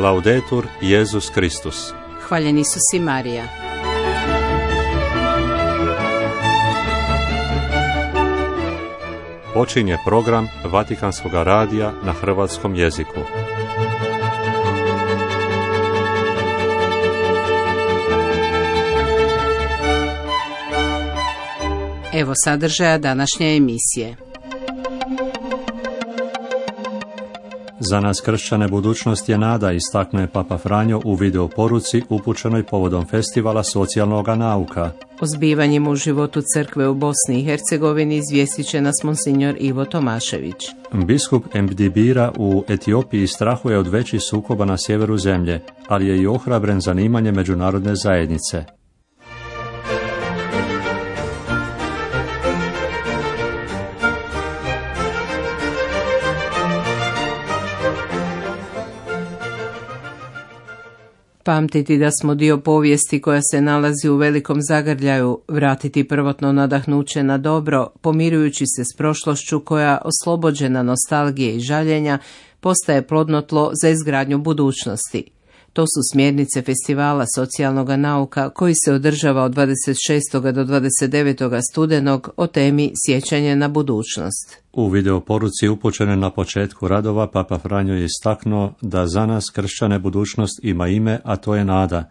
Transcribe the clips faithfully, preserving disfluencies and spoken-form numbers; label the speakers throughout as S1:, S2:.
S1: Laudetur Jesus Christus.
S2: Hvaljen Isus i Marija.
S1: Počinje program Vatikanskog radija na hrvatskom jeziku.
S2: Evo sadržaja današnje emisije.
S1: Za nas kršćane budućnost je nada, istaknuo je Papa Franjo u video poruci upućenoj povodom festivala socijalnog nauka.
S2: O zbivanjima u životu crkve u Bosni i Hercegovini izvijestit će nas monsignor Ivo Tomašević.
S1: Biskup Mdibira u Etiopiji strahuje od većih sukoba na sjeveru zemlje, ali je i ohrabren zanimanje međunarodne zajednice.
S2: Pamtiti da smo dio povijesti koja se nalazi u velikom zagrljaju, vratiti prvotno nadahnuće na dobro, pomirujući se s prošlošću koja, oslobođena nostalgije i žaljenja, postaje plodno tlo za izgradnju budućnosti. To su smjernice festivala socijalnog nauka koji se održava od dvadeset šestog do dvadeset devetog studenog o temi Sjećanje na budućnost.
S1: U video poruci upućene na početku radova Papa Franjo je istaknuo da za nas kršćane budućnost ima ime, a to je nada.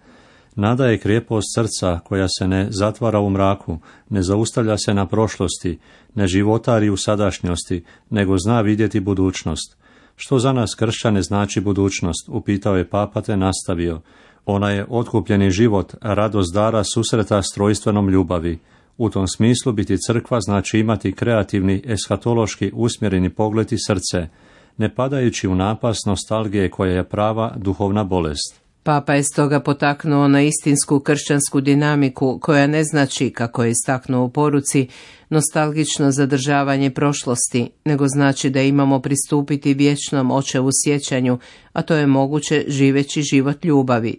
S1: Nada je krijepost srca koja se ne zatvara u mraku, ne zaustavlja se na prošlosti, ne životari u sadašnjosti, nego zna vidjeti budućnost. Što za nas kršćane znači budućnost, upitao je Papa te nastavio. Ona je otkupljeni život, radost dara susreta s trojstvenom ljubavi. U tom smislu biti crkva znači imati kreativni, eskatološki usmjereni pogled i srce, ne padajući u napast nostalgije koja je prava duhovna bolest.
S2: Papa je stoga potaknuo na istinsku kršćansku dinamiku koja ne znači, kako je istaknuo u poruci, nostalgično zadržavanje prošlosti, nego znači da imamo pristupiti vječnom očevu sjećanju, a to je moguće živeći život ljubavi.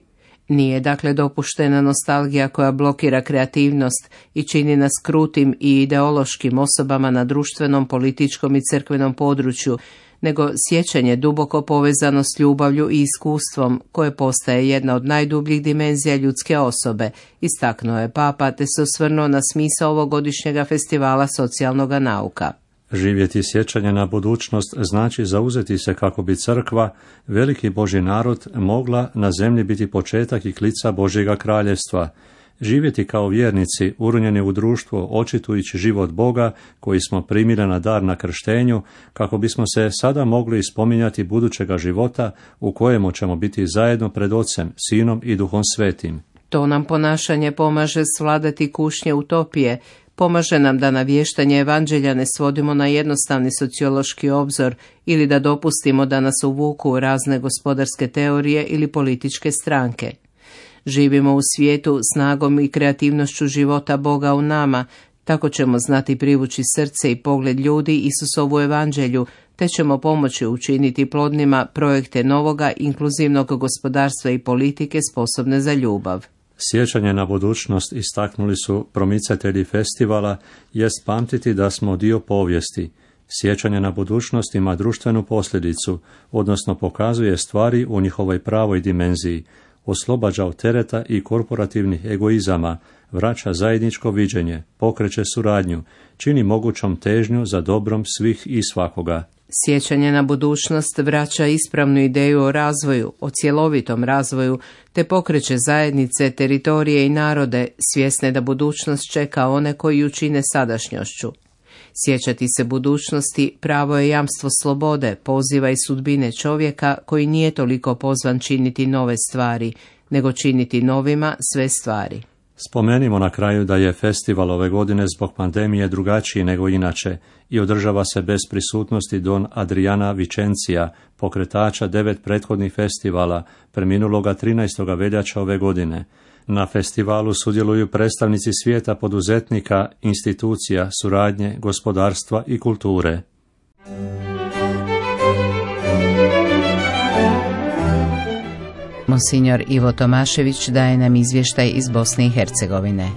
S2: Nije dakle dopuštena nostalgija koja blokira kreativnost i čini nas krutim i ideološkim osobama na društvenom, političkom i crkvenom području, nego sjećanje duboko povezano s ljubavlju i iskustvom koje postaje jedna od najdubljih dimenzija ljudske osobe, istaknuo je Papa te se osvrnuo na smisao ovogodišnjega festivala socijalnog nauka.
S1: Živjeti sjećanje na budućnost znači zauzeti se kako bi crkva, veliki Božji narod, mogla na zemlji biti početak i klica Božjega kraljevstva. Živjeti kao vjernici, urunjeni u društvo, očitujući život Boga koji smo primili na dar na krštenju, kako bismo se sada mogli spominjati budućega života u kojemu ćemo biti zajedno pred Ocem, Sinom i Duhom Svetim.
S2: To nam ponašanje pomaže svladati kušnje utopije, pomaže nam da navještanje evanđelja ne svodimo na jednostavni sociološki obzor ili da dopustimo da nas uvuku u razne gospodarske teorije ili političke stranke. Živimo u svijetu snagom i kreativnošću života Boga u nama, tako ćemo znati privući srce i pogled ljudi Isusovu evanđelju, te ćemo pomoći učiniti plodnima projekte novoga inkluzivnog gospodarstva i politike sposobne za ljubav.
S1: Sjećanje na budućnost, istaknuli su promicatelji festivala, jest pamtiti da smo dio povijesti. Sjećanje na budućnost ima društvenu posljedicu, odnosno pokazuje stvari u njihovoj pravoj dimenziji, oslobađa od tereta i korporativnih egoizama, vraća zajedničko viđenje, pokreće suradnju, čini mogućom težnju za dobrom svih i svakoga.
S2: Sjećanje na budućnost vraća ispravnu ideju o razvoju, o cjelovitom razvoju, te pokreće zajednice, teritorije i narode, svjesne da budućnost čeka one koji ju čine sadašnjošću. Sjećati se budućnosti pravo je jamstvo slobode, poziva i sudbine čovjeka koji nije toliko pozvan činiti nove stvari, nego činiti novima sve stvari.
S1: Spomenimo na kraju da je festival ove godine zbog pandemije drugačiji nego inače i održava se bez prisutnosti don Adriana Vicencija, pokretača devet prethodnih festivala, preminuloga trinaestog veljače ove godine. Na festivalu sudjeluju predstavnici svijeta poduzetnika, institucija, suradnje, gospodarstva i kulture.
S2: Monsignor Ivo Tomašević daje nam izvještaj iz Bosne i Hercegovine.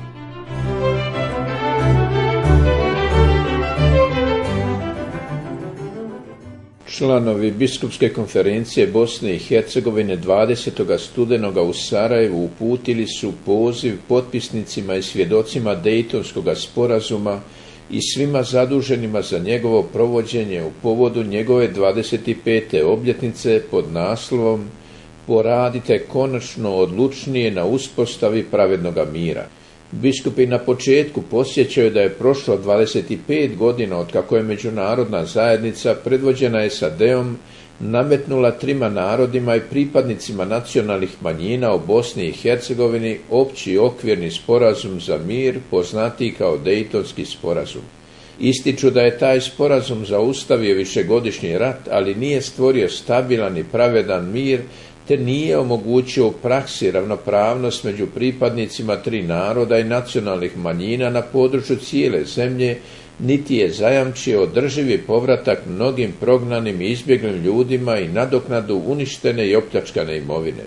S3: Članovi Biskupske konferencije Bosne i Hercegovine dvadesetog studenoga u Sarajevu uputili su poziv potpisnicima i svjedocima Dejtonskog sporazuma i svima zaduženima za njegovo provođenje u povodu njegove dvadeset pete obljetnice pod naslovom "Poradite konačno odlučnije na uspostavi pravednoga mira". Biskupi na početku podsjećaju da je prošlo dvadeset pet godina od kako je međunarodna zajednica predvođena S A D-om nametnula trima narodima i pripadnicima nacionalnih manjina u Bosni i Hercegovini opći okvirni sporazum za mir, poznatiji kao Dejtonski sporazum. Ističu da je taj sporazum zaustavio višegodišnji rat, ali nije stvorio stabilan i pravedan mir, te nije omogućio u praksi ravnopravnost među pripadnicima tri naroda i nacionalnih manjina na području cijele zemlje, niti je zajamčio održivi povratak mnogim prognanim i izbjeglim ljudima i nadoknadu uništene i opljačkane imovine.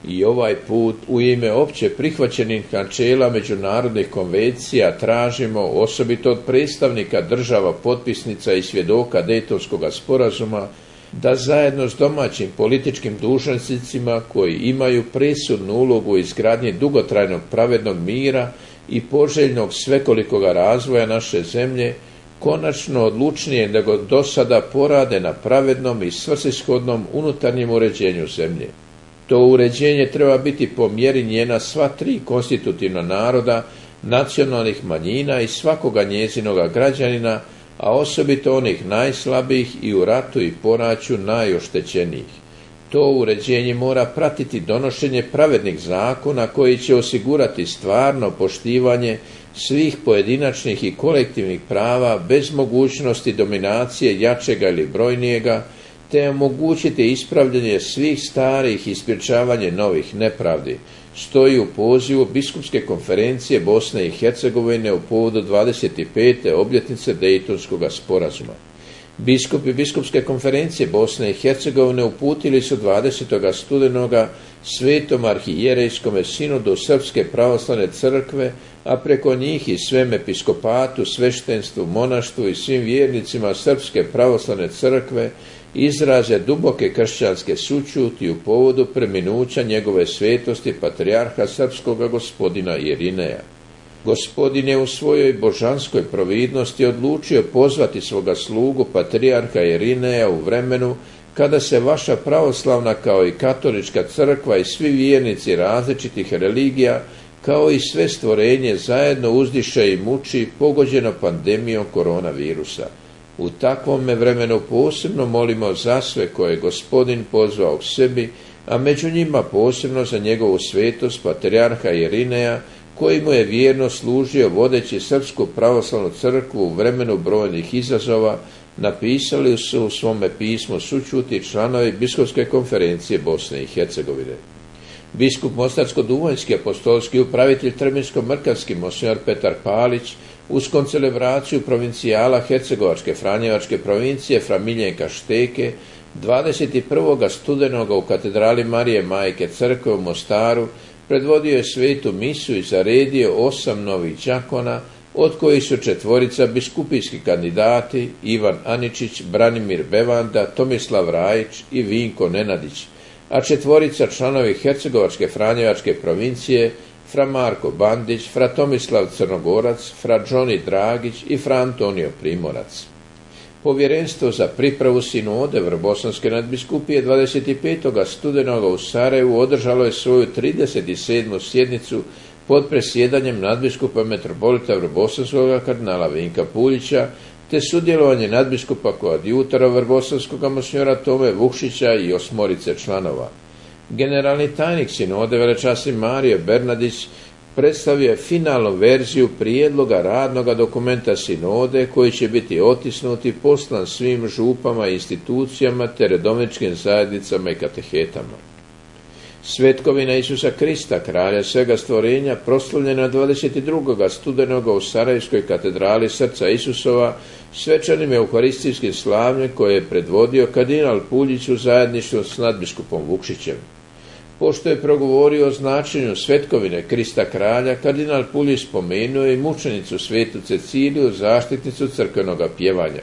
S3: I ovaj put u ime opće prihvaćenih načela međunarodnih konvencija tražimo, osobito od predstavnika država potpisnica i svjedoka Dejtonskog sporazuma, da zajedno s domaćim političkim dužnosnicima koji imaju presudnu ulogu u izgradnji dugotrajnog pravednog mira i poželjnog svekolikoga razvoja naše zemlje, konačno odlučnije nego do sada porade na pravednom i svrsishodnom unutarnjem uređenju zemlje. To uređenje treba biti po mjeri njena sva tri konstitutivna naroda, nacionalnih manjina i svakoga njezinoga građanina, a osobito onih najslabijih i u ratu i poraću najoštećenijih. To uređenje mora pratiti donošenje pravednih zakona koji će osigurati stvarno poštivanje svih pojedinačnih i kolektivnih prava bez mogućnosti dominacije jačega ili brojnijega, te omogućiti ispravljanje svih starih i sprječavanje novih nepravdi, stoji u pozivu Biskupske konferencije Bosne i Hercegovine u povodu dvadeset pete obljetnice Dejtonskog sporazuma. Biskupi Biskupske konferencije Bosne i Hercegovine uputili su dvadesetog studenoga Svetom arhijerejskom sinodu Srpske pravoslavne crkve, a preko njih i svem episkopatu, sveštenstvu, monaštvu i svim vjernicima Srpske pravoslavne crkve izraze duboke kršćanske sućuti u povodu preminuća njegove svetosti patrijarha srpskoga gospodina Irineja. Gospodin je u svojoj božanskoj providnosti odlučio pozvati svoga slugu patrijarha Irineja u vremenu kada se vaša pravoslavna kao i katolička crkva i svi vjernici različitih religija kao i sve stvorenje zajedno uzdiše i muči pogođeno pandemijom koronavirusa. U takvome vremenu posebno molimo za sve koje je Gospodin pozvao k sebi, a među njima posebno za njegovu svetost patrijarha Irineja, koji mu je vjerno služio vodeći Srpsku pravoslavnu crkvu u vremenu brojnih izazova, napisali su u svome pismu sućuti članovi Biskupske konferencije Bosne i Hercegovine. Biskup Mostarsko-Duvanjski apostolski upravitelj Trminsko-Mrkavski monsinjor Petar Palić uz koncelebraciju provincijala Hercegovačke Franjevačke provincije fra Miljenka Šteke dvadeset prvog studenoga u katedrali Marije Majke Crkve u Mostaru predvodio je svetu misu i zaredio osam novih đakona, od kojih su četvorica biskupijski kandidati Ivan Aničić, Branimir Bevanda, Tomislav Rajić i Vinko Nenadić, a četvorica članovi Hercegovačke Franjevačke provincije fra Marko Bandić, fra Tomislav Crnogorac, fra Džoni Dragić i fra Antonio Primorac. Povjerenstvo za pripravu sinode Vrbosanske nadbiskupije dvadeset petog studenoga u Sarajevu održalo je svoju trideset sedmu sjednicu pod presjedanjem nadbiskupa metropolita Vrbosanskoga kardinala Vinka Puljića, te sudjelovanje nadbiskupa koadjutora Vrbosanskoga monsinjora Tome Vukšića i osmorice članova. Generalni tajnik sinode velečasni Mario Bernardić predstavio je finalnu verziju prijedloga radnoga dokumenta sinode koji će biti otisnut i poslan svim župama i institucijama te redovničkim zajednicama i katehetama. Svetkovina Isusa Krista, kralja svega stvorenja, proslavljena dvadeset drugog studenoga u Sarajevskoj katedrali Srca Isusova, svečanim euharistijskim slavljem koje je predvodio kardinal Puljić u zajedništvu s nadbiskupom Vukšićem. Pošto je progovorio o značenju svetkovine Krista kralja, kardinal Puljić spomenuo i mučenicu svetu Ceciliju, zaštitnicu crkvenoga pjevanja.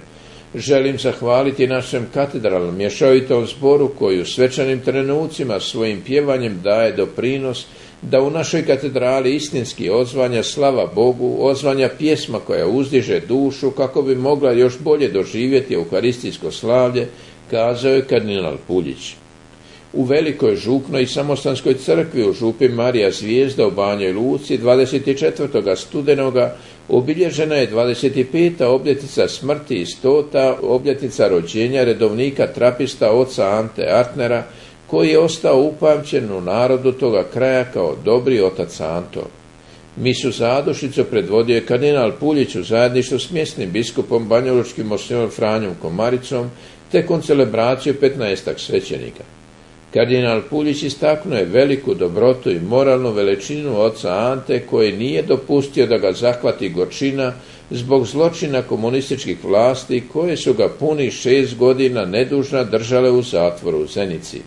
S3: Želim zahvaliti našem katedralnom mješovitom zboru koji u svečanim trenucima svojim pjevanjem daje doprinos da u našoj katedrali istinski odzvanja slava Bogu, odzvanja pjesma koja uzdiže dušu kako bi mogla još bolje doživjeti euharistijsko slavlje, kazao je kardinal Puljić. U Velikoj župnoj i samostanskoj crkvi u župi Marija Zvijezda u Banjoj Luci dvadeset četvrtog studenoga obilježena je dvadeset peta obljetnica smrti i stota obljetnica rođenja redovnika trapista oca Ante Artnera, koji je ostao upamćen u narodu toga kraja kao dobri otac Anto. Misu zadušnicu predvodio je kardinal Puljić u zajedništvu s mjesnim biskupom banjalučkim monsignorom Franjom Komaricom te koncelebraciju petnaestak svećenika. Kardinal Puljić istaknuo je veliku dobrotu i moralnu veličinu oca Ante koji nije dopustio da ga zahvati gorčina zbog zločina komunističkih vlasti koje su ga punih šest godina nedužna držale u zatvoru u Zenici.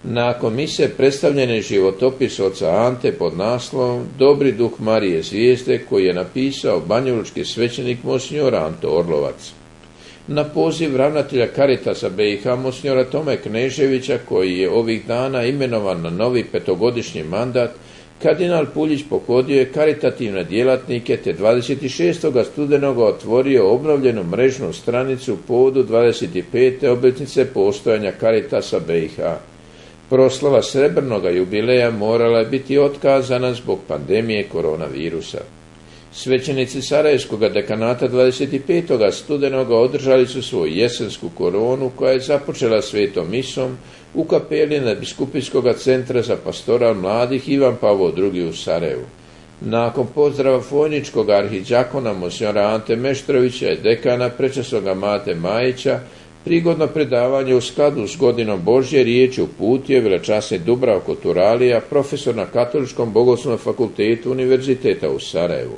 S3: Nakon mise predstavljen je životopis oca Ante pod naslovom Dobri duh Marije Zvijezde koji je napisao banjalučki svećenik monsinjor Anto Orlovac. Na poziv ravnatelja Caritasa B i H monsinjora Tome Kneževića koji je ovih dana imenovan na novi petogodišnji mandat, kardinal Puljić pohodio je karitativne djelatnike te dvadeset šestog studenoga otvorio obnovljenu mrežnu stranicu povodu dvadeset pete obljetnice postojanja Caritasa B i H. Proslava srebrnoga jubileja morala je biti otkazana zbog pandemije koronavirusa. Svećenici Sarajevskog dekanata dvadeset petog studenoga održali su svoju jesensku koronu koja je započela svetom misom u kapeli Nadbiskupijskog centra za pastoral mladih Ivan Pavao drugi u Sarajevu. Nakon pozdrava fojničkog arhidžakona monsinjora Ante Meštrovića i dekana prečasnoga Mate Majića, prigodno predavanje u skladu s godinom Božje riječi uputio velečasni Dubravko Turalija, profesor na Katoličkom bogoslovnom fakultetu Univerziteta u Sarajevu.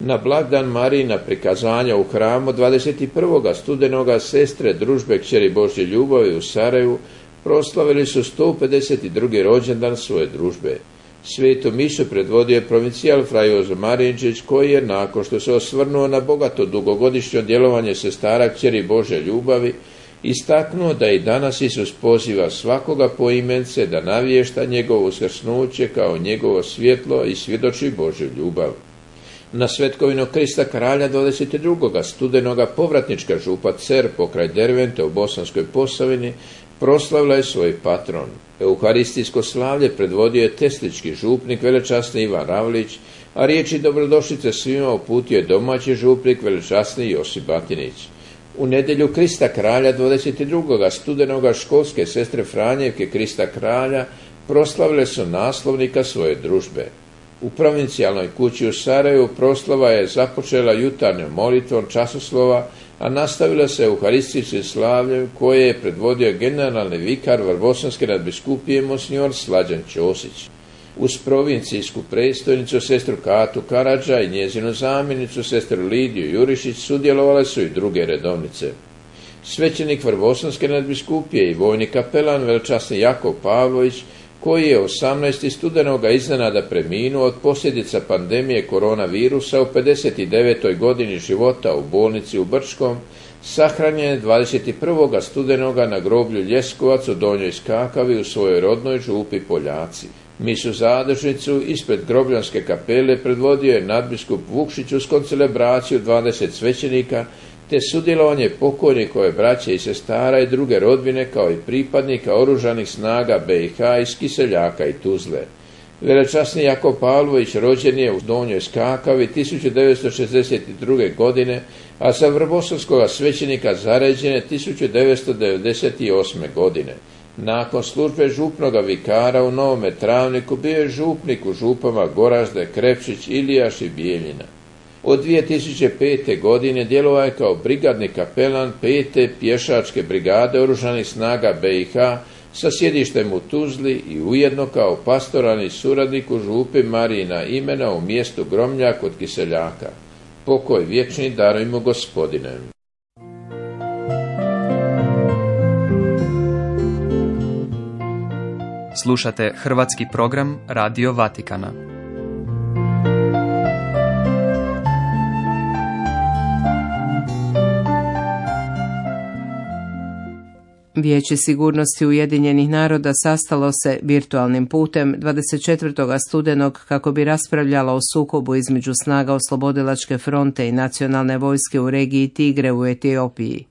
S3: Na blagdan Marijina prikazanja u hramu dvadeset prvog studenoga sestre družbe Kćeri Božje ljubavi u Sarajevu proslavili su sto pedeset drugi rođendan svoje družbe. Svetu misu predvodio je provincijal fra Jozo Marinčić koji je, nakon što se osvrnuo na bogato dugogodišnje djelovanje sestara Kćeri Božje ljubavi, istaknuo da i danas Isus poziva svakoga poimence da navješta njegovo uskrsnuće kao njegovo svjetlo i svjedoči Božju ljubav. Na svetkovinu Krista kralja dvadeset drugog studenoga povratnička župa Cer pokraj Dervente u Bosanskoj Posavini proslavila je svoj patron. Euharistijsko slavlje predvodio je teslički župnik velečasni Ivan Ravlić, a riječi dobrodošlice svima uputio je domaći župnik velečasni Josip Batinić. U nedjelju Krista kralja dvadeset drugog studenoga školske sestre Franjevke Krista kralja proslavile su naslovnika svoje družbe. U provincijalnoj kući u Sarajevu proslava je započela jutarnjom molitvom časoslova, a nastavila se euharistijskim slavljem koje je predvodio generalni vikar Vrbosanske nadbiskupije monsinjor Slađan Ćosić. Uz provincijsku predstojnicu sestru Katu Karadža i njezinu zamjenicu sestru Lidiju Jurišić sudjelovale su i druge redovnice. Svećenik Vrbosanske nadbiskupije i vojni kapelan velečasni Jakov Pavlović, koji je osamnaestog studenoga iznenada preminuo od posljedica pandemije koronavirusa u pedeset devetoj godini života u bolnici u Brčkom, sahranjen je dvadeset prvog studenoga na groblju Ljeskovac u Donjoj Skakavi u svojoj rodnoj župi Poljaci. Misu zadušnicu ispred grobljanske kapele predvodio je nadbiskup Vukšić uz koncelebraciju dvadeset svećenika, te sudjelovanje pokojnikove braće i sestara i druge rodbine kao i pripadnika oružanih snaga B i H iz Kiseljaka i Tuzle. Velečasni Jakov Pavlović rođen je u Donjoj Skakavi tisuću devetsto šezdeset druge. godine, a za vrbosanskog svećenika zaređen je tisuću devetsto devedeset osme. godine. Nakon službe župnoga vikara u Novome Travniku bio je župnik u župama Goražde, Krepšić, Ilijaš i Bijeljina. Od dvije tisuće pete. godine djelovao je kao brigadni kapelan pete pješačke brigade oružanih snaga B i H sa sjedištem u Tuzli i ujedno kao pastoralni suradnik u župi Marijina imena u mjestu Gromljak kod Kiseljaka. Pokoj vječni darujmo Gospodine.
S4: Slušate hrvatski program Radio Vatikana.
S2: Vijeće sigurnosti Ujedinjenih naroda sastalo se virtualnim putem dvadeset četvrtog studenog kako bi raspravljalo o sukobu između snaga Oslobodilačke fronte i nacionalne vojske u regiji Tigre u Etiopiji.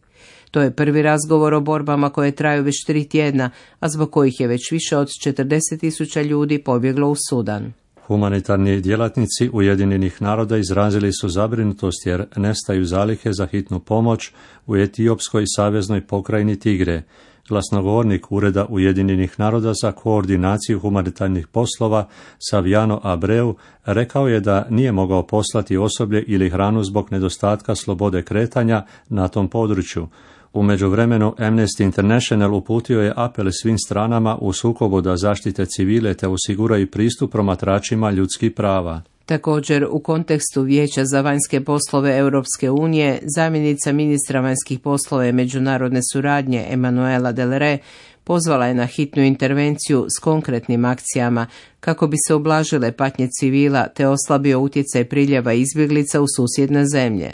S2: To je prvi razgovor o borbama koje traju već tri tjedna, a zbog kojih je već više od četrdeset tisuća ljudi pobjeglo u Sudan.
S1: Humanitarni djelatnici Ujedinjenih naroda izrazili su zabrinutost jer nestaju zalihe za hitnu pomoć u etiopskoj saveznoj pokrajini Tigre. Glasnogovornik Ureda Ujedinjenih naroda za koordinaciju humanitarnih poslova Saviano Abreu rekao je da nije mogao poslati osoblje ili hranu zbog nedostatka slobode kretanja na tom području. U međuvremenu Amnesty International uputio je apel svim stranama u sukobu da zaštite civile te osiguraju pristup promatračima ljudskih prava.
S2: Također, u kontekstu Vijeća za vanjske poslove Europske unije, zamjenica ministra vanjskih poslova i međunarodne suradnje Emanuela Del Re pozvala je na hitnu intervenciju s konkretnim akcijama kako bi se ublažile patnje civila te oslabio utjecaj priljeva izbjeglica u susjedne zemlje.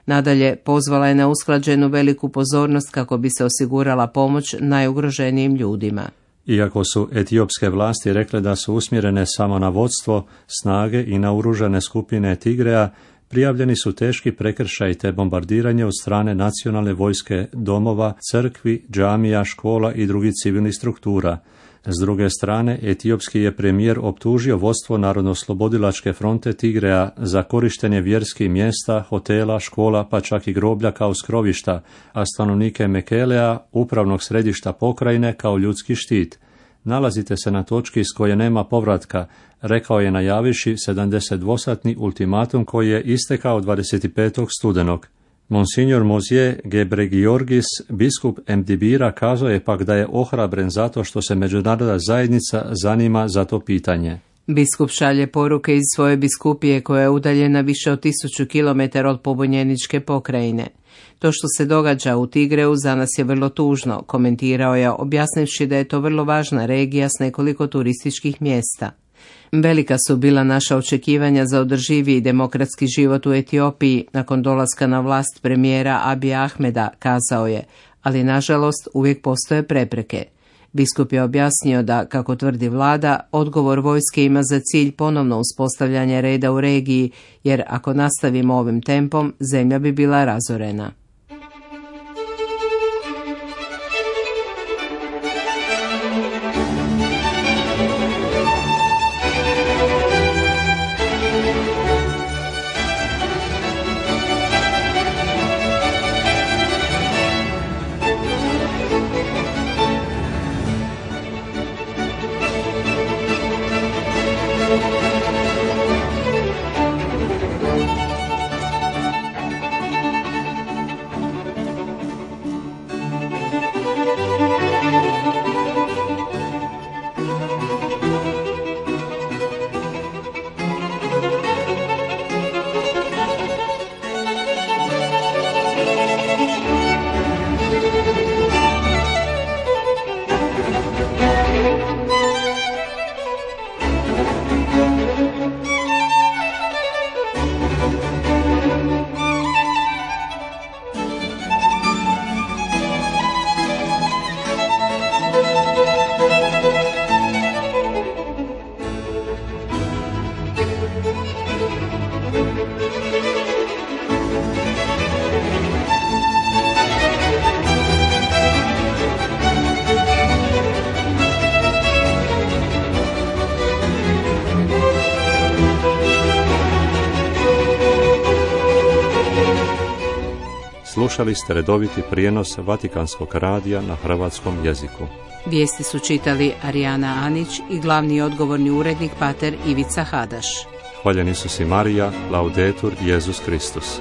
S2: Nadalje, pozvala je na usklađenu veliku pozornost kako bi se osigurala pomoć najugroženijim ljudima.
S1: Iako su etiopske vlasti rekle da su usmjerene samo na vodstvo, snage i naoružane skupine Tigreja, prijavljeni su teški prekršaji te bombardiranje od strane nacionalne vojske domova, crkvi, džamija, škola i drugih civilnih struktura. S druge strane, etiopski je premijer optužio vodstvo Narodno-oslobodilačke fronte Tigreja za korištenje vjerskih mjesta, hotela, škola pa čak i groblja kao skrovišta, a stanovnike Mekelea, upravnog središta pokrajine, kao ljudski štit. Nalazite se na točki s koje nema povratka, rekao je najaviši sedamdesetdvosatni ultimatum koji je istekao dvadeset petog studenog. Monsignor Mozije Gebregiorgis, biskup Emdibira, kazao je pak da je ohrabren zato što se međunarodna zajednica zanima za to pitanje.
S2: Biskup šalje poruke iz svoje biskupije koja je udaljena više od tisuću kilometara od pobunjeničke pokrajine. To što se događa u Tigreu za nas je vrlo tužno, komentirao je, objasnivši da je to vrlo važna regija s nekoliko turističkih mjesta. Velika su bila naša očekivanja za održiviji demokratski život u Etiopiji nakon dolaska na vlast premijera Abija Ahmeda, kazao je, ali nažalost uvijek postoje prepreke. Biskup je objasnio da, kako tvrdi vlada, odgovor vojske ima za cilj ponovno uspostavljanje reda u regiji, jer ako nastavimo ovim tempom, zemlja bi bila razorena.
S1: Slušali ste redoviti prijenos Vatikanskog radija na hrvatskom jeziku.
S2: Vijesti su čitali Arijana Anić i glavni odgovorni urednik pater Ivica Hadaš.
S1: Hvaljeni su si Marija, Laudetur Jesus Kristus.